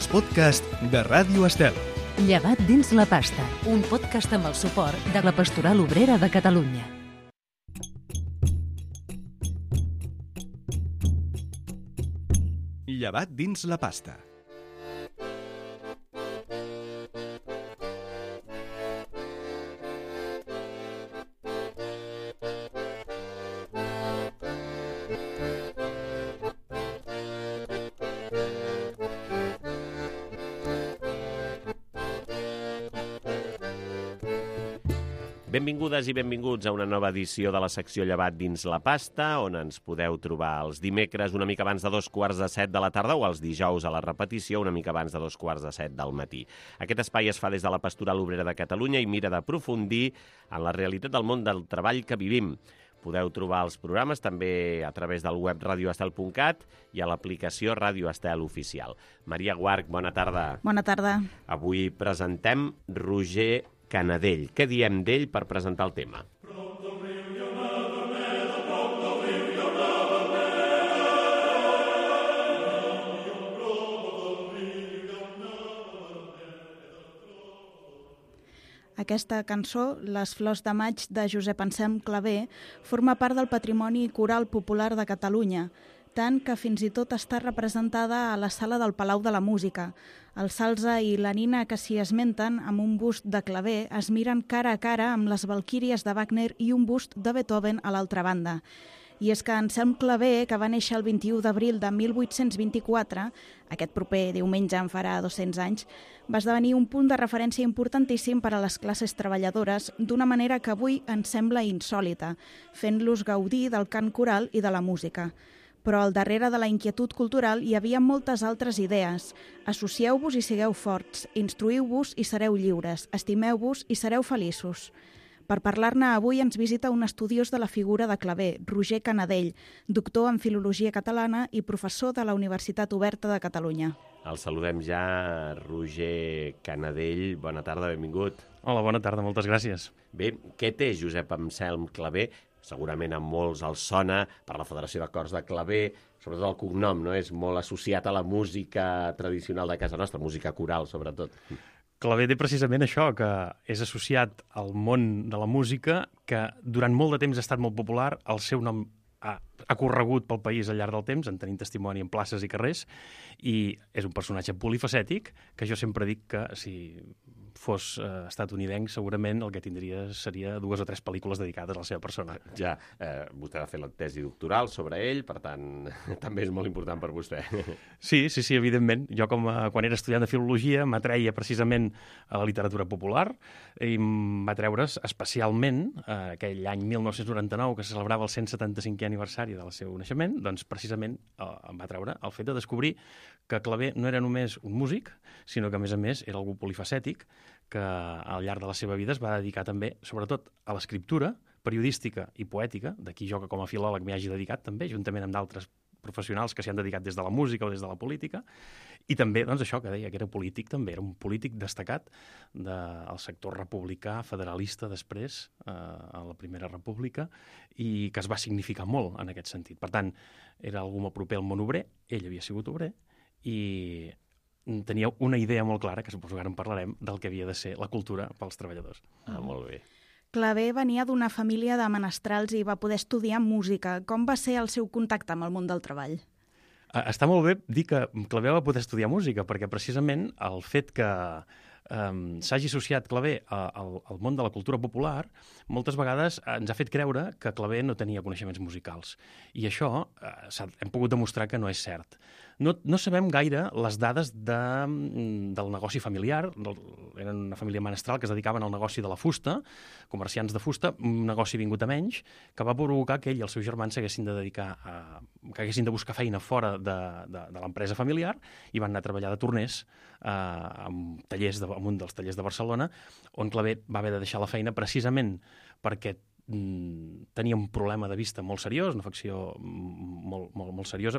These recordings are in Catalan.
els podcasts de Ràdio Estel. Llevat dins la pasta, un podcast amb el suport de la Pastoral Obrera de Catalunya. Llevat dins la pasta. Benvingudes i benvinguts a una nova edició de la secció Llevat dins la pasta, on ens podeu trobar els dimecres una mica abans de 7:15 de la tarda o els dijous a la repetició una mica abans de 7:15 del matí. Aquest espai es fa des de la Pastoral Obrera de Catalunya i mira d'aprofundir en la realitat del món del treball que vivim. Podeu trobar els programes també a través del web radioestel.cat i a l'aplicació Ràdio Estel Oficial. Maria Guarch, bona tarda. Bona tarda. Avui presentem Roger Canadell. Què diem d'ell per presentar el tema? Aquesta cançó, Les flors de maig de Josep Anselm Clavé, forma part del patrimoni coral popular de Catalunya, tant que fins i tot està representada a la sala del Palau de la Música. El Salze i la Nina, que s'hi esmenten amb un bust de Clavé, es miren cara a cara amb les Valquíries de Wagner i un bust de Beethoven a l'altra banda. I és que Anselm Clavé, que va néixer el 21 d'abril de 1824, aquest proper diumenge en farà 200 anys, va esdevenir un punt de referència importantíssim per a les classes treballadores d'una manera que avui ens sembla insòlita, fent-los gaudir del cant coral i de la música. Però al darrere de la inquietud cultural hi havia moltes altres idees. Associeu-vos i sigueu forts, instruïu-vos i sereu lliures, estimeu-vos i sereu feliços. Per parlar-ne avui ens visita un estudiós de la figura de Clavé, Roger Canadell, doctor en Filologia Catalana i professor de la Universitat Oberta de Catalunya. El saludem ja, Roger Canadell. Bona tarda, benvingut. Hola, bona tarda, moltes gràcies. Bé, què té Josep Anselm Clavé? Segurament a molts els sona per la Federació de Cors de Clavé, sobretot el cognom, no? És molt associat a la música tradicional de casa nostra, música coral, sobretot. Clavé té precisament això, que és associat al món de la música, que durant molt de temps ha estat molt popular, el seu nom ha corregut pel país al llarg del temps, en tenim testimoni en places i carrers, i és un personatge polifacètic, que jo sempre dic que si fos estatunidenc, segurament el que tindria seria 2 o 3 pel·lícules dedicades a la seva persona. Ja, vostè va fer la tesi doctoral sobre ell, per tant, també és molt important per vostè. Sí, evidentment. Jo, quan era estudiant de filologia, m'atreia precisament a la literatura popular i em va treure's especialment aquell any 1999, que se celebrava el 175è aniversari del seu naixement, doncs precisament em va treure el fet de descobrir que Clavé no era només un músic, sinó que, a més, era algú polifacètic que al llarg de la seva vida es va dedicar també, sobretot, a l'escriptura periodística i poètica, d'aquí jo que com a filòleg m'hi hagi dedicat també, juntament amb d'altres professionals que s'hi han dedicat des de la música o des de la política, i també, doncs, això que deia, que era polític també, era un polític destacat del sector republicà, federalista després, a la Primera República, i que es va significar molt en aquest sentit. Per tant, era algú molt proper al món obrer, ell havia sigut obrer, i tenia una idea molt clara, que suposo que ara en parlarem, del que havia de ser la cultura pels treballadors. Molt bé. Clavé venia d'una família de menestrals i va poder estudiar música. Com va ser el seu contacte amb el món del treball? Està molt bé dir que Clavé va poder estudiar música, perquè precisament el fet que s'hagi associat Clavé al món de la cultura popular, moltes vegades ens ha fet creure que Clavé no tenia coneixements musicals. I això hem pogut demostrar que no és cert. No sabem gaire les dades del negoci familiar. Eren una família menestral que es dedicaven al negoci de la fusta, comerciants de fusta, un negoci vingut a menys, que va provocar que ell i els seus germans s'haguessin de dedicar que haguessin de buscar feina fora de l'empresa familiar i van anar a treballar de torners en un dels tallers de Barcelona, on Clavé va haver de deixar la feina precisament perquè tenia un problema de vista molt seriós, una afecció molt seriosa,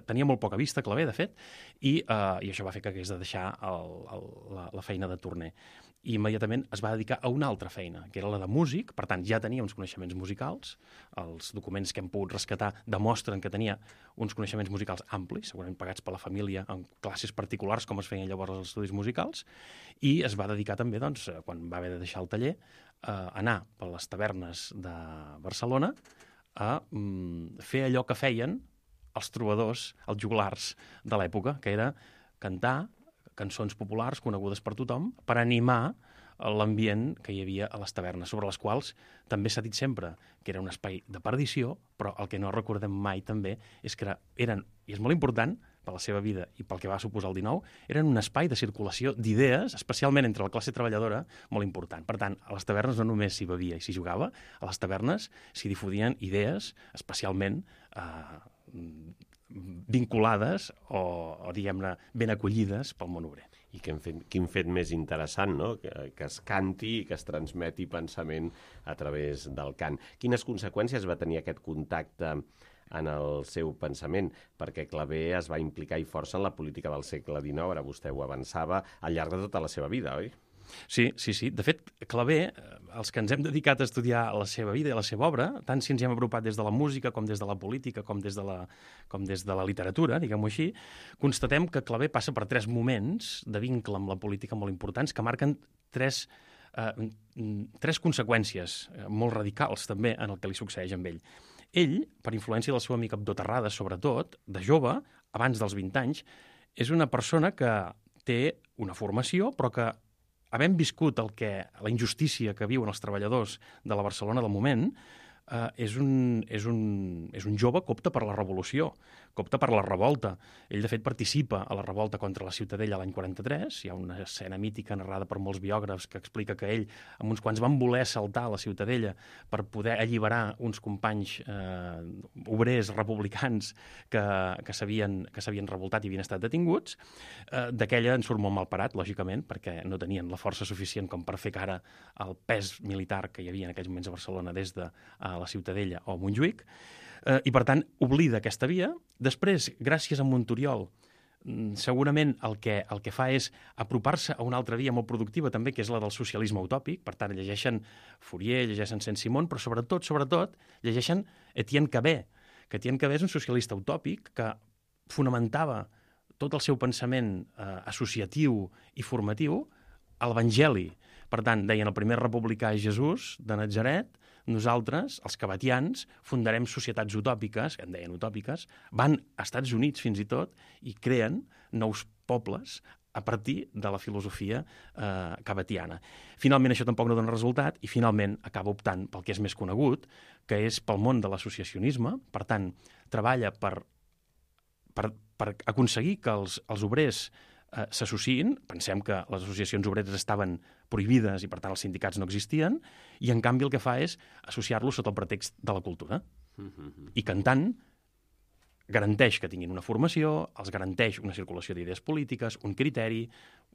tenia molt poca vista, Clavé, de fet, i això va fer que hagués de deixar la feina de torner. i immediatament es va dedicar a una altra feina, que era la de músic. Per tant, ja tenia uns coneixements musicals. Els documents que hem pogut rescatar demostren que tenia uns coneixements musicals amplis, segurament pagats per la família en classes particulars, com es feien llavors els estudis musicals, i es va dedicar també, doncs, quan va haver de deixar el taller, a anar per les tavernes de Barcelona a fer allò que feien els trobadors, els joglars de l'època, que era cantar cançons populars conegudes per tothom per animar l'ambient que hi havia a les tavernes, sobre les quals també s'ha dit sempre que era un espai de perdició, però el que no recordem mai també és que eren, i és molt important per la seva vida i pel que va suposar el 19, eren un espai de circulació d'idees, especialment entre la classe treballadora, molt important. Per tant, a les tavernes no només s'hi bevia i s'hi jugava, a les tavernes s'hi difudien idees, especialment vinculades o diguem-ne, ben acollides pel món obrer. I quin fet més interessant, no? Que es canti i que es transmeti pensament a través del cant. Quines conseqüències va tenir aquest contacte en el seu pensament? Perquè Clavé es va implicar i força en la política del segle XIX, ara vostè ho avançava, al llarg de tota la seva vida, oi? Sí. De fet, Clavé, els que ens hem dedicat a estudiar la seva vida i la seva obra, tant si ens hi hem apropat des de la música, com des de la política, com des de la literatura, diguem-ho així, constatem que Clavé passa per 3 moments de vincle amb la política molt importants que marquen tres conseqüències molt radicals també en el que li succeeix amb ell. Ell, per influència del seu amic Abdó Terrades, sobretot, de jove, abans dels 20 anys, és una persona que té una formació, però que havent viscut la injustícia que viuen els treballadors de la Barcelona del moment, és un jove que opta per la revolució, que opta per la revolta. Ell, de fet, participa a la revolta contra la Ciutadella l'any 43. Hi ha una escena mítica narrada per molts biògrafs que explica que ell, amb uns quants, van voler saltar a la Ciutadella per poder alliberar uns companys obrers republicans que s'havien revoltat i havien estat detinguts. D'aquella en surt molt mal parat, lògicament, perquè no tenien la força suficient com per fer cara al pes militar que hi havia en aquells moments a Barcelona des de la Ciutadella o Montjuïc, i per tant oblida aquesta via. Després, gràcies a Monturiol, segurament el que fa és apropar-se a una altra via molt productiva també, que és la del socialisme utòpic. Per tant, llegeixen Fourier, llegeixen Saint-Simon, però sobretot llegeixen Etienne Cabet, que Etienne Cabet és un socialista utòpic que fonamentava tot el seu pensament associatiu i formatiu a l'Evangeli. Per tant, deien, el primer republicà és Jesús de Natzaret. Nosaltres, els cabetians, fundarem societats utòpiques, que en deien utòpiques, van a Estats Units fins i tot i creen nous pobles a partir de la filosofia cabetiana. Finalment això tampoc no dona resultat i finalment acaba optant pel que és més conegut, que és pel món de l'associacionisme. Per tant, treballa per aconseguir que els obrers s'associïn. Pensem que les associacions obreres estaven prohibides i, per tant, els sindicats no existien, i, en canvi, el que fa és associar-los sota el pretext de la cultura. I cantant garanteix que tinguin una formació, els garanteix una circulació d'idees polítiques, un criteri,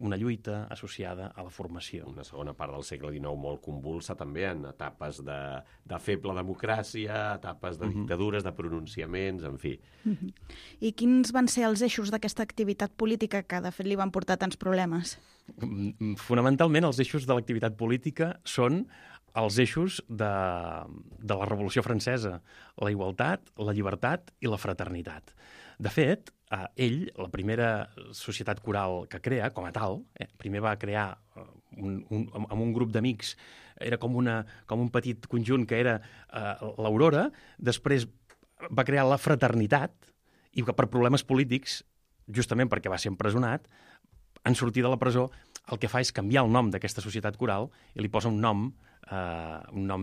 una lluita associada a la formació. Una segona part del segle XIX molt convulsa també en etapes de feble democràcia, etapes de dictadures, de pronunciaments, en fi. I quins van ser els eixos d'aquesta activitat política que, de fet, li van portar tants problemes? Fonamentalment, els eixos de l'activitat política són els eixos de la Revolució Francesa, la igualtat, la llibertat i la fraternitat. De fet, ell, la primera societat coral que crea, com a tal, primer va crear amb un grup d'amics, era com un petit conjunt que era l'Aurora, després va crear la fraternitat, i que per problemes polítics, justament perquè va ser empresonat, en sortir de la presó, el que fa és canviar el nom d'aquesta societat coral i li posa un nom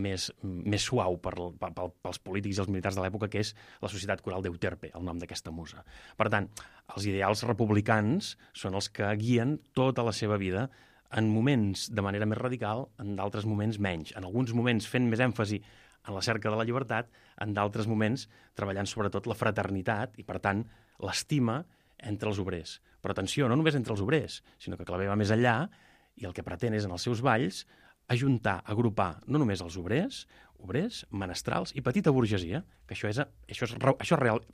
més suau pels polítics i els militars de l'època, que és la Societat Coral d'Euterpe, el nom d'aquesta musa. Per tant, els ideals republicans són els que guien tota la seva vida, en moments de manera més radical, en d'altres moments menys. En alguns moments fent més èmfasi en la cerca de la llibertat, en d'altres moments treballant sobretot la fraternitat i, per tant, l'estima entre els obrers. Però atenció, no només entre els obrers, sinó que Clavé va més enllà i el que pretén és, en els seus balls, ajuntar, agrupar no només els obrers, menestrals i petita burgesia, que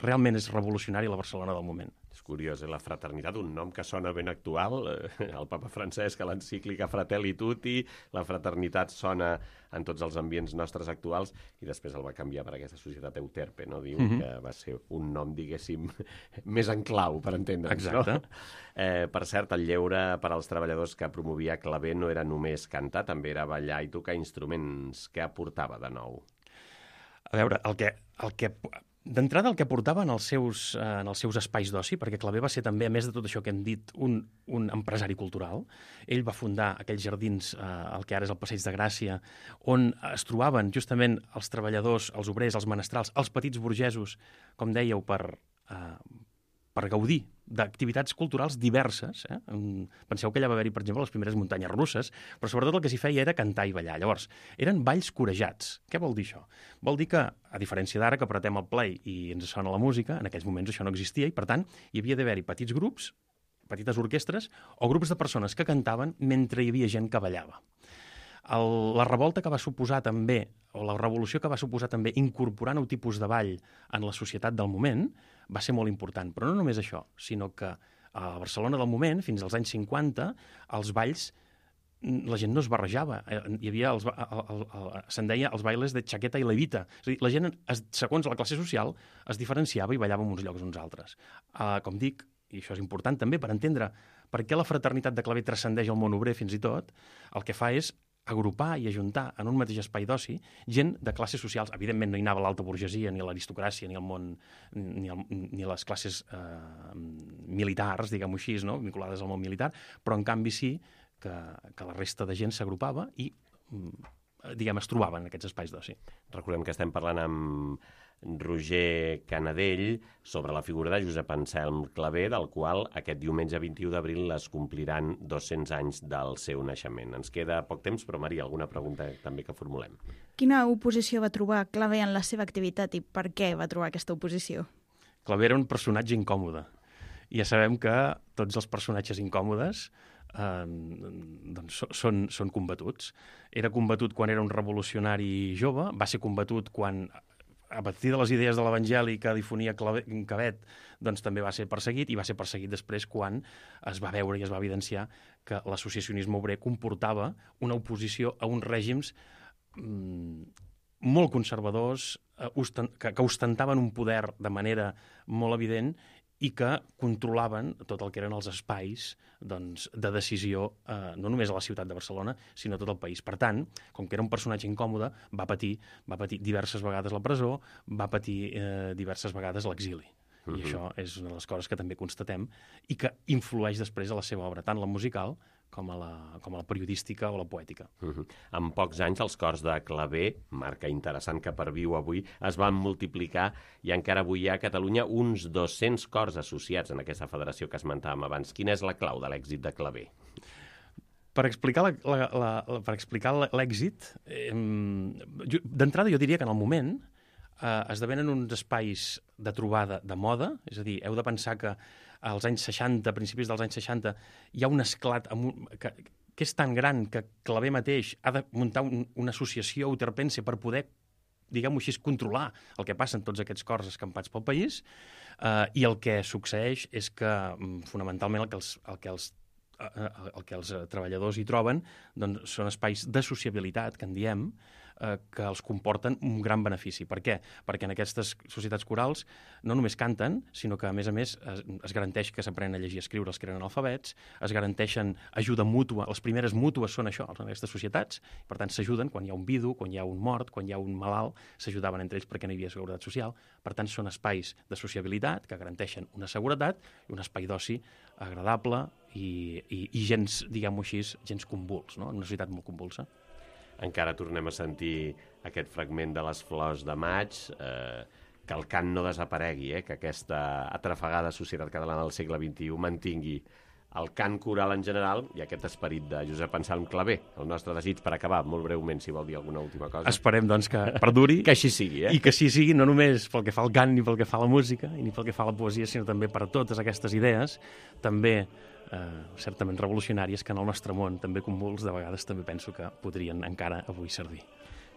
realment és revolucionari a la Barcelona del moment. És curiós, la fraternitat, un nom que sona ben actual. El papa Francesc, a l'encíclica Fratelli Tutti, la fraternitat sona en tots els ambients nostres actuals, i després el va canviar per aquesta societat Euterpe, no? Diu que va ser un nom, diguéssim, més en clau, per entendre'ns. Exacte. No? Per cert, el lleure per als treballadors que promovia Clavé no era només cantar, també era ballar i tocar instruments. Què aportava de nou? A veure, d'entrada el que portava en els seus espais d'oci, perquè Clavé va ser també, a més de tot això que hem dit, un empresari cultural. Ell va fundar aquells jardins, el que ara és el Passeig de Gràcia, on es trobaven justament els treballadors, els obrers, els menestrals, els petits burgesos, com dèieu, per gaudir d'activitats culturals diverses. Penseu que allà va haver-hi, per exemple, les primeres muntanyes russes, però sobretot el que s'hi feia era cantar i ballar. Llavors, eren balls corejats. Què vol dir això? Vol dir que, a diferència d'ara, que apretem el play i ens sona la música, en aquells moments això no existia i, per tant, hi havia d'haver-hi petits grups, petites orquestres o grups de persones que cantaven mentre hi havia gent que ballava. La revolta que va suposar també, o la revolució que va suposar també incorporar nou tipus de ball en la societat del moment, va ser molt important. Però no només això, sinó que a Barcelona del moment, fins als anys 50, els balls, la gent no es barrejava. Hi havia, se'n deia, els bailes de chaqueta i levita. És a dir, la gent, segons la classe social, es diferenciava i ballava en uns llocs o uns altres. Com dic, i això és important també per entendre per què la fraternitat de Clavé transcendeix el món obrer fins i tot, el que fa és agrupar i ajuntar en un mateix espai d'oci gent de classes socials. Evidentment no hi anava l'alta burgesia, ni l'aristocràcia, ni el món, ni les classes militars, diguem-ho així, no? Vinculades al món militar, però en canvi sí que la resta de gent s'agrupava i es trobaven en aquests espais d'oci. Recordem que estem parlant amb Roger Canadell sobre la figura de Josep Anselm Clavé, del qual aquest diumenge 21 d'abril es compliran 200 anys del seu naixement. Ens queda poc temps, però Maria, alguna pregunta també que formulem? Quina oposició va trobar Clavé en la seva activitat i per què va trobar aquesta oposició? Clavé era un personatge incòmode. Ja sabem que tots els personatges incòmodes són combatuts. Era combatut quan era un revolucionari jove, va ser combatut quan, a partir de les idees de l'Evangeli que difonia Cabet, doncs també va ser perseguit, i va ser perseguit després quan es va veure i es va evidenciar que l'associacionisme obrer comportava una oposició a uns règims molt conservadors, que ostentaven un poder de manera molt evident i que controlaven tot el que eren els espais de decisió, no només a la ciutat de Barcelona, sinó a tot el país. Per tant, com que era un personatge incòmode, va patir diverses vegades la presó, va patir diverses vegades l'exili. I això és una de les coses que també constatem i que influeix després a la seva obra, tant la musical com a la periodística o la poètica. En pocs anys els cors de Clavé, marca interessant que perviu avui, es van multiplicar i encara avui hi ha a Catalunya uns 200 cors associats en aquesta federació que esmentàvem abans. Quina és la clau de l'èxit de Clavé? Per explicar l'èxit, d'entrada jo diria que en el moment esdevenen uns espais de trobada de moda, és a dir, heu de pensar que als anys 60, a principis dels anys 60, hi ha un esclat que és tan gran que Clavé mateix ha de muntar una associació euterpense per poder, diguem-ho així, controlar el que passa en tots aquests cors escampats pel país, i el que succeeix és que, fonamentalment, el que els treballadors hi troben doncs, són espais de sociabilitat, que en diem, que els comporten un gran benefici. Per què? Perquè en aquestes societats corals no només canten, sinó que, a més, es garanteix que s'aprenen a llegir i escriure els que eren analfabets, es garanteixen ajuda mútua, les primeres mútues són això, en aquestes societats, per tant s'ajuden quan hi ha un vidu, quan hi ha un mort, quan hi ha un malalt, s'ajudaven entre ells perquè no hi havia seguretat social. Per tant, són espais de sociabilitat que garanteixen una seguretat i un espai d'oci agradable i gens, diguem-ho així, gens convuls, no? En una societat molt convulsa. Encara tornem a sentir aquest fragment de les flors de maig, que el cant no desaparegui, que aquesta atrafegada societat catalana del segle XXI mantingui el cant coral en general i aquest esperit de Josep Anselm Clavé. El nostre desig per acabar, molt breument, si vol dir alguna última cosa. Esperem, doncs, que perduri. Que així sigui, I que així sigui, no només pel que fa al cant ni pel que fa a la música, ni pel que fa a la poesia, sinó també per totes aquestes idees, també certament revolucionàries, que en el nostre món, també convuls, de vegades també penso que podrien encara avui servir.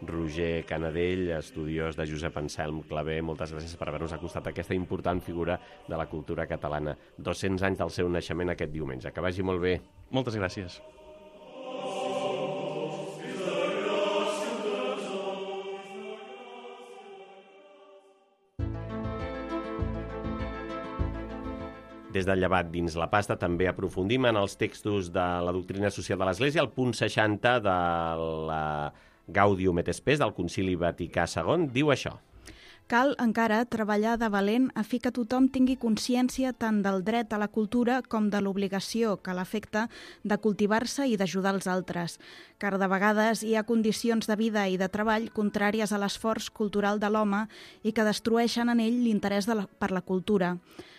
Roger Canadell, estudiós de Josep Anselm Clavé. Moltes gràcies per haver-nos acostat a aquesta important figura de la cultura catalana. 200 anys del seu naixement aquest diumenge. Que vagi molt bé. Moltes gràcies. Des del Llevat dins la pasta també aprofundim en els textos de la doctrina social de l'Església, el punt 60 de la Gaudium et Spes del Concili Vaticà II diu això. Cal encara treballar de valent a fi que tothom tingui consciència tant del dret a la cultura com de l'obligació que l'afecta de cultivar-se i d'ajudar els altres, car de vegades hi ha condicions de vida i de treball contràries a l'esforç cultural de l'home i que destrueixen en ell l'interès per la cultura.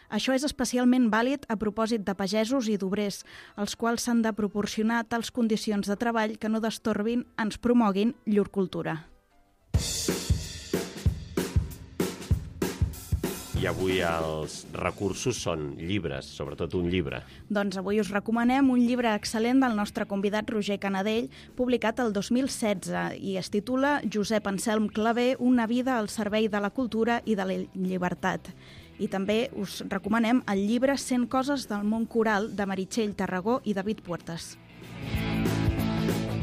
Això és especialment vàlid a propòsit de pagesos i d'obrers, als quals s'han de proporcionar tals condicions de treball que no destorbin, ens promoguin llur cultura. I avui els recursos són llibres, sobretot un llibre. Doncs avui us recomanem un llibre excel·lent del nostre convidat Roger Canadell, publicat el 2016 i es titula Josep Anselm Clavé, una vida al servei de la cultura i de la llibertat. I també us recomanem el llibre 100 coses del món coral de Meritxell Tarragó i David Puertas.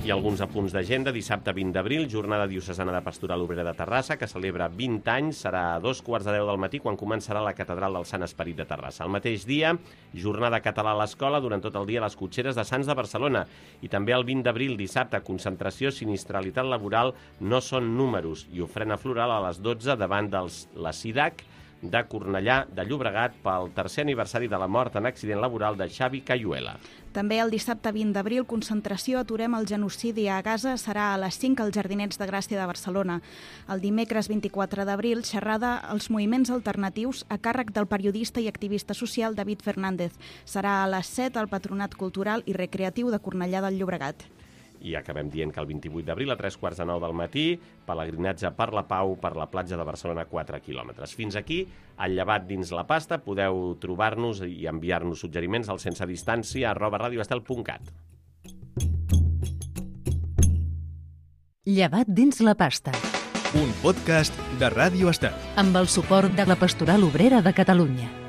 I alguns apunts d'agenda. Dissabte 20 d'abril, jornada diocesana de Pastoral Obrera de Terrassa, que celebra 20 anys, serà a 2:15 del matí, quan començarà la Catedral del Sant Esperit de Terrassa. El mateix dia, jornada català a l'escola, durant tot el dia a les cotxeres de Sants de Barcelona. I també el 20 d'abril, dissabte, concentració, sinistralitat laboral, no són números, i ofrena floral a les 12 davant la SIDAC de Cornellà de Llobregat pel tercer aniversari de la mort en accident laboral de Xavi Cayuela. També el dissabte 20 d'abril, concentració Aturem el genocidi a Gaza, serà a les 5 als Jardinets de Gràcia de Barcelona. El dimecres 24 d'abril, xerrada als moviments alternatius a càrrec del periodista i activista social David Fernández. Serà a les 7 al Patronat Cultural i Recreatiu de Cornellà del Llobregat. I acabem dient que el 28 d'abril, a 3:45 del matí, pelegrinatge per la pau per la platja de Barcelona, 4 quilòmetres. Fins aquí, al Llevat dins la pasta. Podeu trobar-nos i enviar-nos suggeriments al sensedistància@radioestel.cat. Llevat dins la pasta. Un podcast de Ràdio Estel. Amb el suport de la Pastoral Obrera de Catalunya.